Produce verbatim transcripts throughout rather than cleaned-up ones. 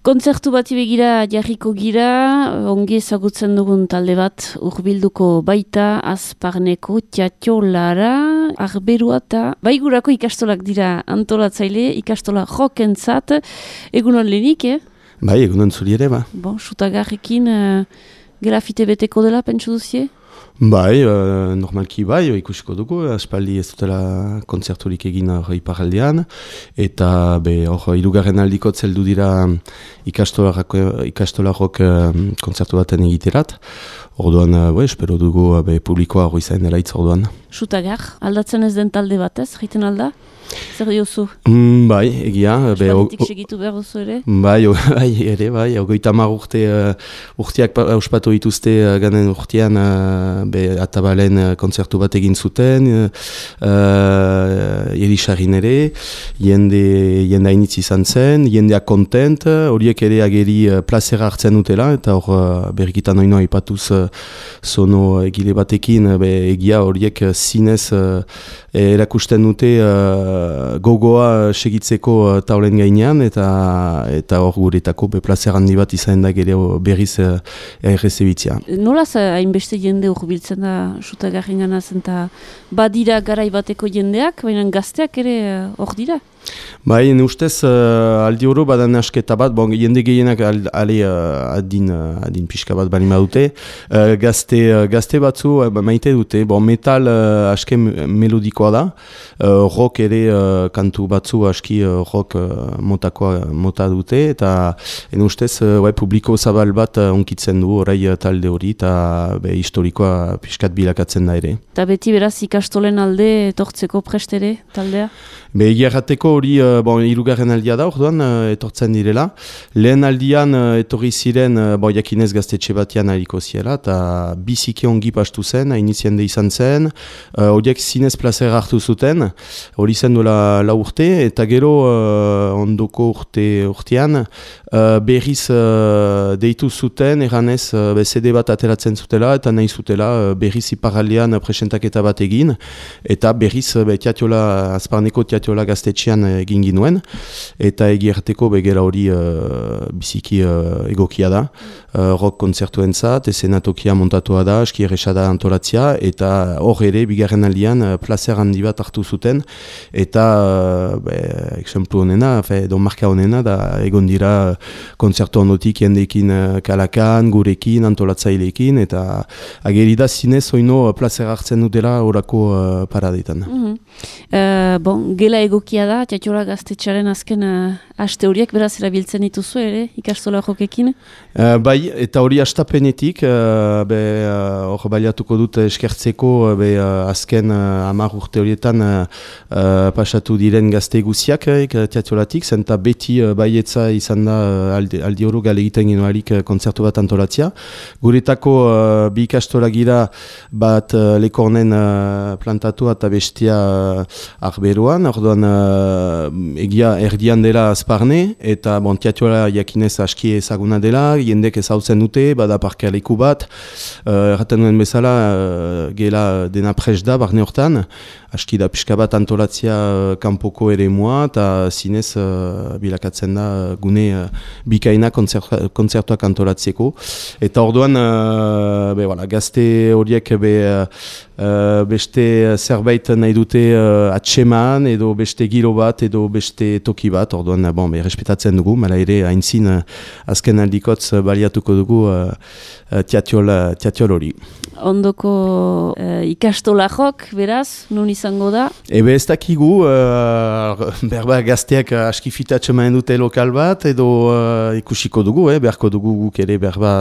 Kontzertu bati begira jarriko gira, ongi ezagutzen dugun talde bat hurbilduko baita Azparneko Tiatiolara, Arberoa eta baigurako ikastolak dira antolatzaile, ikastola jokentzat, egunon lehenik, eh? Bai, egunon zuri ere, ba. Bon, sutagarrekin uh, grafite beteko dela, pentsu duzie? Bai, uh, normalki bai, ikusiko dugu, aspaldi ez dutela kontzerturik egin hor iparaldean, eta be, hor, hirugarren aldiko zeldu dira ikastolarok uh, kontzertu baten egiterat. Orduan, uh, be, espero dugu uh, be, publikoa hori zain eraitz orduan. Sutagar, aldatzen ez den talde batez, jiten alda? Zer diozu? Mm, bai, egia. Aspalditik segitu behar duzu ere? Bai, o, bai, ere, bai. Ogoita mar urte uh, urteak auspatu dituzte uh, ganen urtean uh, be, atabalen uh, kontzertu bat egin zuten, uh, Elisarin ere, jende, jende hainitz izan zen, jendea kontent, horiek ere ageri uh, plazera hartzen dutela, eta hor uh, berrikitan oinoa ipatuz uh, zono egile batekin, uh, be, egia horiek uh, zinez uh, erakusten dute uh, gogoa segitzeko uh, taulen gainean, eta eta hor guretako plazer handi bat izan da gero berriz uh, errezebitzia. Nolaz hainbeste jende urbiltzen da Sutagarren ganaz, eta badira garai bateko jendeak, baina gazteak ere hor dira? Bai, ne ustez uh, aldi oro badan asketa bat, bon, jende gehienak ale uh, adin, uh, adin pixka bat balima dute, uh, gazte, uh, gazte batzu uh, maite dute, bon, metal uh, aske melodikoa da, uh, rock ere uh, kantu batzu aski uh, rock uh, motakoa mota dute, eta ne ustez uh, bai, publiko zabal bat uh, onkitzen du orai uh, talde hori, eta be, historikoa pixkat bilakatzen da ere. Eta beti beraz ikastolen alde etortzeko prestere taldea? Be, egiarrateko hori uh, bon, irugarren aldia da, orduan uh, etortzen direla. Lehen aldian uh, etorri ziren, uh, bon, jakinez gaztetxe batean hariko ziela, eta biziki ongi pastu zen, hainiziende izan zen, horiek uh, zinez plazer hartu zuten, hori zen duela lau urte, eta gero uh, ondoko urte urtean, uh, berriz uh, deitu zuten, erranez uh, C D bat ateratzen zutela, eta nahi zutela uh, berriz iparaldean uh, presentaketa bat egin, eta berriz uh, tiatiola, Azparneko Tiatiola gaztetxean egin ginuen, eta egierteko begera hori uh, biziki uh, egokia da. Uh, rock kontzertuentzat, esenatokia montatua da, aski erresada antolatzia, eta hor ere, bigarren aldian, uh, plazer handi bat hartu zuten, eta, uh, be, exemplu honena, fe, don marka honena, da egon dira kontzertu ondotik jendeekin uh, kalakan, gurekin, antolatzaileekin, eta ageri da zinez oino uh, plazer hartzen dutela horako uh, paradetan. Mm-hmm. uh, bon, gela egokia da, Tiatiola gaztetxearen azken uh, aste horiek, beraz erabiltzen dituzu ere, ikastola jokekin? Uh, bai, eta hori astapenetik, hor uh, uh, baliatuko dut eskertzeko be, uh, azken uh, hamar urte horietan uh, uh, pasatu diren gazte guziak uh, Tiatiolatik, zenta beti uh, baietza izan da uh, aldi, aldi oro gale egiten ginoarik uh, kontzertu bat antolatzia. Guretako uh, bi ikastola gira bat uh, lekornen uh, plantatua eta bestia uh, Arberoan, orduan uh, egia erdian dela Azparne, eta bon, Tiatiola jakinez aski ezaguna dela, jendek ezautzen dute, bada parkealeku bat, uh, erraten duen bezala, uh, gela dena pres da, barne hortan, aski da pixka bat antolatzia uh, kanpoko ere mua, eta zinez uh, bilakatzen da gune uh, bikaina kontzertuak antolatzeko. Eta orduan, uh, be, voilà, gazte horiek be, uh, beste zerbait nahi dute uh, atseman, edo beste giro bat, edo beste toki bat, orduan, bon, be, respetatzen dugu, mala ere haintzin uh, azken aldikotz uh, baliatuko dugu uh, uh, tiatiol, uh, tiatiol hori. Ondoko uh, ikastolajok, beraz, nun izango da? Ebe ez dakigu, uh, berba gazteak uh, aski fitatxeman dute lokal bat, edo uh, ikusiko dugu, eh, beharko dugu guk ere berba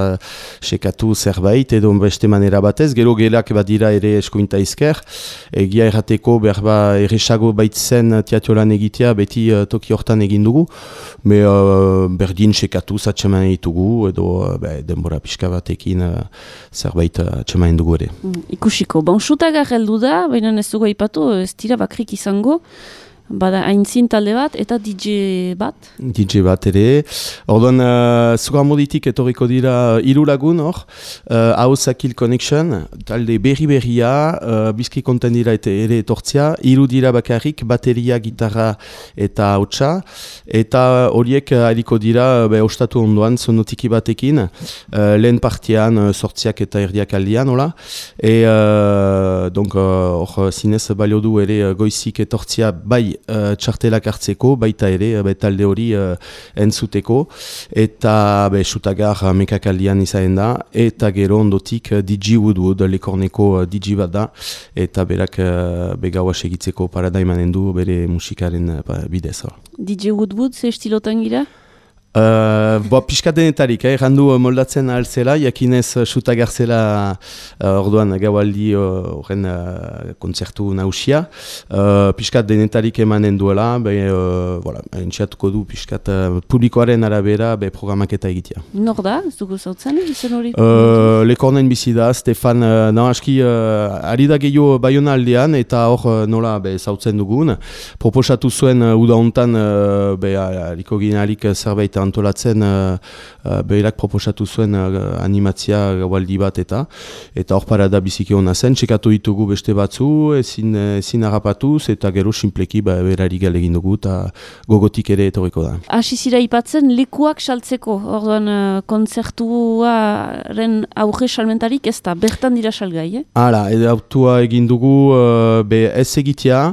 sekatu zerbait, edo beste manera batez, gero gelak badira ere eskuinta izker, egia errateko berba erresago baitzen tiatiolan egitea, beti uh, toki hortan egin dugu, me uh, berdin sekatu zatxeman ditugu, edo uh, be, denbora pixka batekin uh, zerbait uh, atxeman dugu ere. Mm, ikusiko, bon, Sutagar heldu da, baina ez dugu aipatu, ez dira bakrik izango, Bada aintzin talde bat eta D J bat? D J bat ere. Orduan, uh, Zugarmoditik etorriko dira hiru lagun hor. Uh, Ahosakil Connection, talde berri-berria, uh, bizki konten dira eta ere etortzia. Hiru dira bakarrik, bateria, gitarra eta hautsa. Eta horiek hariko dira, be, ostatu ondoan, sonotiki batekin. Uh, lehen partian, uh, sortziak eta erdiak aldian, hola. E, uh, donc, hor, uh, zinez balio du ere goizik etortzia bai Uh, txartelak hartzeko, baita ere, be, talde hori uh, entzuteko, eta be, sutagar uh, mekakaldian izaen da, eta gero ondotik uh, D J Woodwood, lekorneko uh, D J bat da, eta berak uh, begaua segitzeko paradaimanen du bere musikaren uh, bidez. D J Woodwood, ze estilotan gira? Uh, bo, pixka denetarik, eh, randu moldatzen altzela, jakinez sutagar zela uh, orduan gaualdi horren uh, uh, kontzertu nausia. Uh, pixka denetarik emanen duela, be, uh, voilà, entxatuko du pixka uh, publikoaren arabera be, programaketa egitea. Nor da, ez dugu zautzen, izen hori? Uh, Lekornen bizi da, Stefan, uh, no, aski, uh, ari da gehiago Bayona aldean, eta hor uh, nola be, zautzen dugun. Proposatu zuen uh, uda hontan, uh, be, hariko ginealik zerbait antolatzen uh, uh, behirak proposatu zuen uh, animatzia gaualdi bat eta eta hor parada biziki hona zen, txekatu ditugu beste batzu, ezin, ezin harrapatuz eta gero sinpleki ba, berari galegin dugu eta gogotik ere etorriko da. Hasi zira ipatzen lekuak saltzeko, orduan uh, kontzertuaren auge salmentarik ez da, bertan dira salgai, eh? Hala, edo autua egin dugu uh, be ez egitea,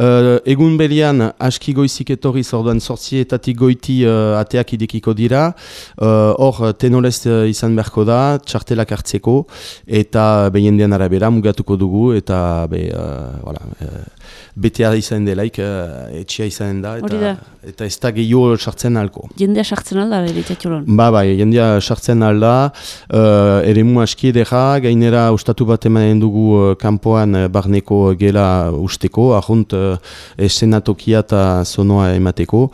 uh, egun berian aski goizik etorriz orduan sortzietatik goiti uh, ateak idekiko dira, hor uh, tenolez uh, izan beharko da, txartelak hartzeko, eta behendean arabera mugatuko dugu, eta be, uh, voilà, uh, betea izan delaik, uh, etxia izan da, eta, eta ez da gehiago sartzen alko. Jendea sartzen alda, bere txatxolon? Ba, bai, jendea sartzen alda, uh, eremu aski edera, gainera ustatu bat emanen dugu uh, kanpoan uh, barneko gela usteko, ahunt uh, eszenatokia eta sonoa emateko,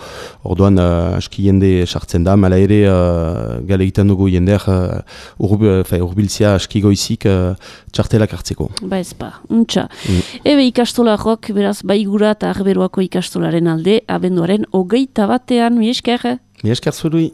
orduan uh, aski jende sartzen da, mala ere uh, gale egiten dugu jendeak uh, urbiltzia aski goizik uh, txartelak hartzeko. Ba ez ba, untxa. Mm. Ebe ikastolarok, beraz, Baigura eta Arberoako ikastolaren alde, abenduaren hogeita batean, mi esker? Mi esker zurui.